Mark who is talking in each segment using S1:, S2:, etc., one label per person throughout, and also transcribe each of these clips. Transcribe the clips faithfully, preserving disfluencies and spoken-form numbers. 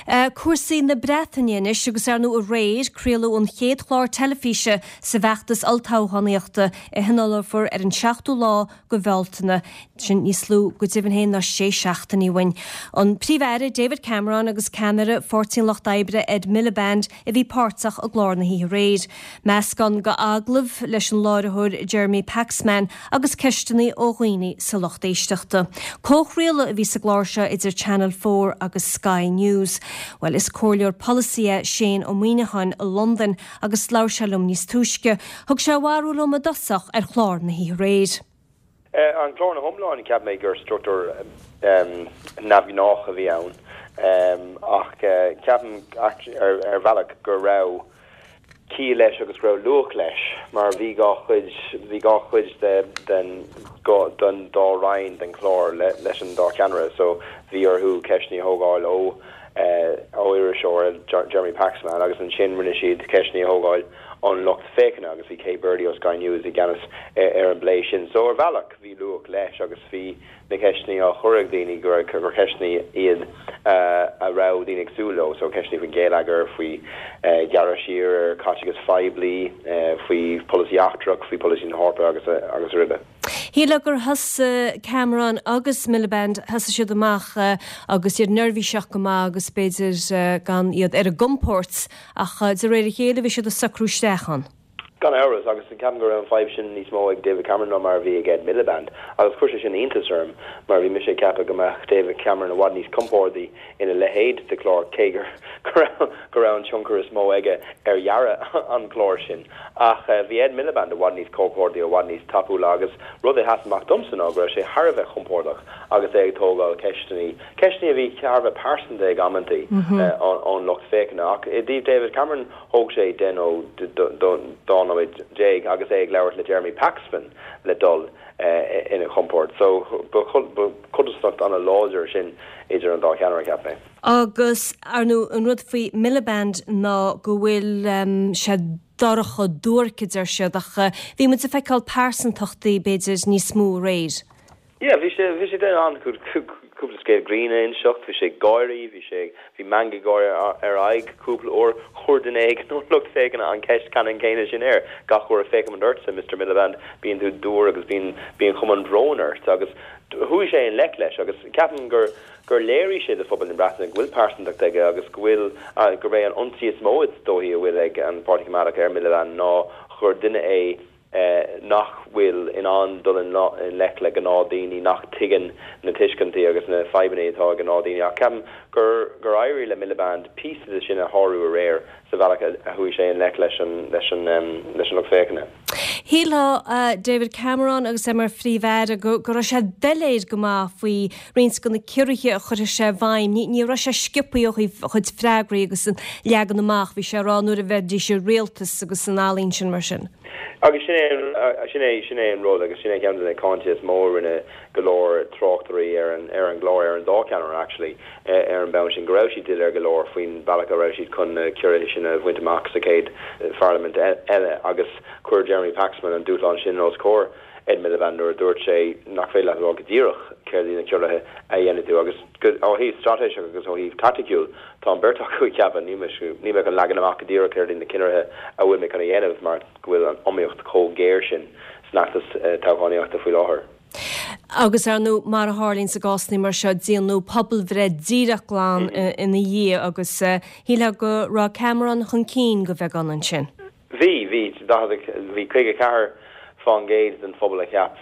S1: Cúrsaí na Breataine anois agus ar ndóigh aréir craoladh an chéad chlár teilifíse sa bhfeachtas olltoghchánaíochta a thionólfar ar an seachtú lá de Bhealtaine sin níos lú go deimhin féin ná sé seachtainí uainn. An Príomh-Aire David Cameron agus ceannaire Pháirtí an Lucht Oibre Ed Miliband a bhí páirteach i gclár na hoíche aréir. Meascán d'agallaimh leis an láithreoir Jeremy Paxman agus ceisteanna ó dhaoine sa lucht éisteachta. Comhchraoladh a bhí sa gclár seo idir Channel four agus Sky News. Well is comhairleoir polasaí é Shane Ó Muíneacháin i Londain agus labhair sé liom níos túisce. Thug sé a bharúil dom i dtosach ar chlár na hoíche aréir.
S2: An clár ina iomláine, cheap mé gur struchtúr neamhghnách a bhí ann ach ceapaim ar bhealach go raibh ciall leis agus go raibh luach leis mar bhí dhá chuid bhí dhá chuid de den den dá roinn den chlár leis an dá cheannaire so bhí orthu ceisteanna a thógáil ó ó iriseoir Jeremy Paxman agus ansin rinne siad ceisteanna a thógáil ón lucht féachana agus bhí Kay Burley ó Sky News i gceannas ar an bplé sin. So ar bhealach bhí luach leis agus bhí na ceisteanna á chur ag daoine gur gur ceisteanna iad a raibh daoine ag súil leo, so ceisteanna faoin gheilleagar, faoi ghearradh siar ar chaiteachas poiblí, faoi polasaí eachtrach, faoi polasaí na hEorpa agus agus araile.
S1: Shílfeá gur thosaigh Cameron agus Miliband thosaigh siad amach agus iad neirbhíseach go maith agus b'fhéidir gan iad ar a gcompord ach de réir a chéile bhí siad ag socrú isteach ann.
S2: Gan amhras agus ceapaim go raibh an fhadhb sin níos mó ag David Cameron ná mar a bhí ag Ed Miliband agus chuir sé sin iontas orm mar bhí mise ag ceapadh go mbeadh David Cameron i bhfad níos compordaí ina leithéid de chlár cé gur go raibh an tionchar is mó aige ar dhearadh an chlár sin. Ach bhí Ed Miliband i bhfad níos compordaí i bhfad níos tapúla agus rud a sheas amach domsa ná go raibh sé thar a bheith compordach agus é ag tógáil ceisteanna ceisteanna a bhí thar a bheith pearsanta ag amantaí ón lucht féachana ach i dtaobh David Cameron thóg sé deich nó dá nóiméad déag agus é ag labhairt le Jeremy Paxman le dul ina chompord. So codarsnacht an-láidir sin idir an dá cheannaire cheap mé.
S1: Agus ar ndóigh an rud faoi Miliband ná go bhfuil sé dorcha duairc a deir siad ach bhí muid ag feiceáil pearsantachtaí b'fhéidir níos mó aréir.
S2: Yeah, bhí sé bhí sé den an cúpla scéal grinn a inseacht, bhí sé gáirí, bhí sé bhí meangadh gáire ar a aghaidh cúpla uair chuir duine éigin ón lucht féachana an ceist ceannann céanna sin air gach uair a féachaim ortsa Mister Miliband bíonn tú dúr agus bíonn bíonn cuma an bhróin ort agus chuaigh sé i ngleic leis agus ceapaim gur gur léirigh sé do phobal na Breataine go bhfuil pearsantacht aige agus go bhfuil gurb é an ionsaí is mó is dóichí a bhfuil ag an Páirtí Coimeádach ar Miliband ná gur duine é nach bhfuil in ann dul i ngleic le gnáthdhaoine nach dtuigeann na tuiscintí agus na fadhbanna atá ag gnáthdhaoine ach ceapaim gur gur éirigh le Miliband píosa de sin a shárú aréir sa bhealach a chuaigh sé i ngleic leis an leis an leis an lucht féachana.
S1: Shílfeá David Cameron agus é mar phríomh-aire go go raibh sé doiléir go maith faoi roinnt de na ciorruithe a chuirfeadh sé i bhfeidhm. Ní ní raibh sé sciobtha ó thaobh a chuid freagraí agus an leagan amach bhí sé ag rá nuair a bheidís i rialtas agus an ealaín sin mar sin.
S2: Agus sin é sin é sin é an rud agus sin é ceann de na cáinte is mó a rinne go leor tráchtairí ar an ar an gclár ar an dá cheannaire actually ar an mbonn sin go raibh siad doiléir go leor faoin bealach a raibh siad chun na ciorruithe sin a bhaint amach sa chéad pharlaimint eile agus chuir Jeremy Paxman an dúshlán sin os comhair Ed Miliband nuair a dúirt sé nach féidir leat rá go díreach céard iad na ciorruithe a dhéanfaidh tú agus ó thaobh straitéiseach agus ó thaobh taiticiúil tá an bheirt acu ag ceapadh ní ní mé chun leagan amach go díreach céard iad na ciorruithe a bhfuil mé chun a dhéanamh mar go bhfuil an iomaíocht chomh géar sin san fheachtas toghchánaíochta faoi láthair.
S1: Agus ar ndóigh mar a tharlaíonn sa gcásanna mar seo déanadh pobalbhreith díreach glan ina dhiaidh agus shílfeá go raibh Cameron chun cinn go bheagán ansin.
S2: Bhí bhí bhí caoga ceathair faoin gcéad den phobal a cheap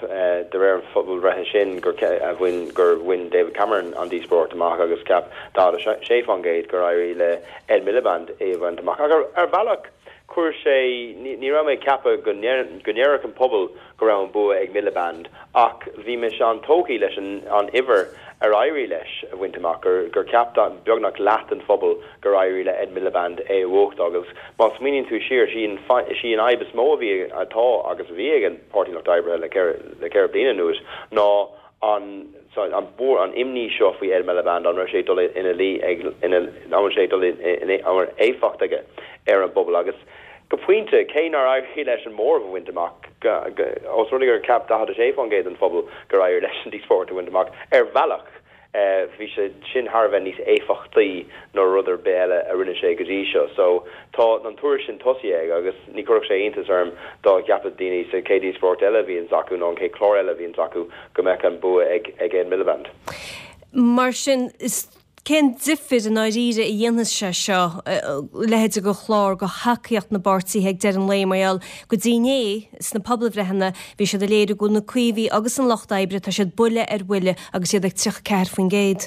S2: de réir an phobalbhreithe sin gur a bhain gur bhain David Cameron an díospóireacht amach agus cheap daichead a sé faoin gcéad gur éirigh le Ed Miliband é a bhaint amach. Ach ar bhealach chuir sé ní raibh mé ag ceapadh go go ndéarfadh an pobal go raibh an bua ag Miliband ach bhí mise an-tógtha leis an an uimhir ar éirigh leis a bhaint amach gur gur cheap beagnach leath den phobal gur éirigh le Ed Miliband é a bhuacht agus má smaoiníonn tú siar sí an sí an fhadhb is mó a bhí atá agus a bhí ag an Páirtí Lucht Oibre le le ceithre bliana anuas ná an an bór an imní seo faoi Ed Miliband an raibh sé dul ina luí ag ina an sé dul ina an éifeacht aige ar an bpobal agus go pointe cé nár éirigh leis an móramh a bhaint amach os rud gur cheap daichead a sé faoin gcéad den phobal gur éirigh leis an díospóireacht a bhaint amach ar bhealach Bhí sé sin thar a bheith níos éifeachtaí ná rud ar bith eile a rinne sé go dtí seo. So tá an turas sin tosaithe aige agus ní chuirfeadh sé iontas orm dá gceapfadh daoine sa chéad díospóireacht eile a bhíonns acu nó an chéad chlár eile a bhíonns acu go mbeadh an bua ag ag Ed Miliband.
S1: Mar sin is cén difear i ndáiríre a dhéanfas sé seo, a leithéid de chlár do thacaíocht na bpáirtithe ag deireadh an lae mar gheall go dtí inné sna pobalbhreitheanna bhí siad ag léiriú go bhfuil na Caomhaigh agus an Lucht Oibre tá siad buille ar bhuille agus iad ag tríocha ceathair faoin gcéad.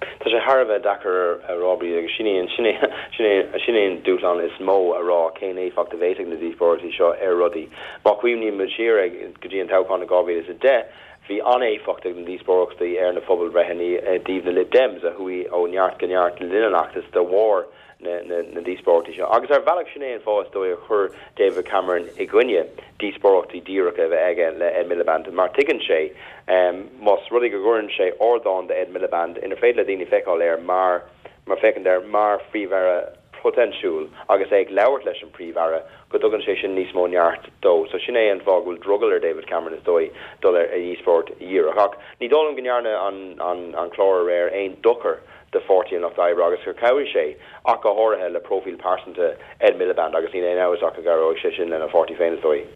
S2: Tá sé thar a bheith deacair a rá Bríd agus sin é sin é sin é sin é an dúshlán is mó a rá cén éifeacht a bheidh ag na díospóireachtaí seo ar rudaí. Má chuimhníonn muid siar ag go dtí an toghchán i dhá mhíle is a deich, Bhí an-éifeacht ag na díospóireachtaí ar na pobalbhreitheanna i dtaobh na Lib Dems a chuaigh ó neart go neart le linn an fheachtais de bharr na ndíospóireachtaí seo. Agus ar bhealach sin é an fáth is dóigh a chuir David Cameron i gcoinne díospóireachtaí díreacha a bheith aige le Ed Miliband mar tuigeann sé más rud é go gcuireann sé ardán do Ed Miliband inar féidir le daoine feiceáil air mar mar féachaint air mar phríomh-aire potensiúil agus é ag labhairt leis an Príomh-Aire go dtugann sé sin níos mó neart dó. So sin é an fáth go bhfuil drogall ar David Cameron is dóigh dul ar dhíospóireacht dhíreach. Ach ní dóigh liom go ndearna an an an clár aréir aon dochar do Pháirtí an Lucht Oibre agus gur chabhraigh sé ach go háirithe le próifíl pearsanta Ed Miliband agus níl aon amhras ach go gcabhróidh sé sin lena pháirtí féin is dóigh.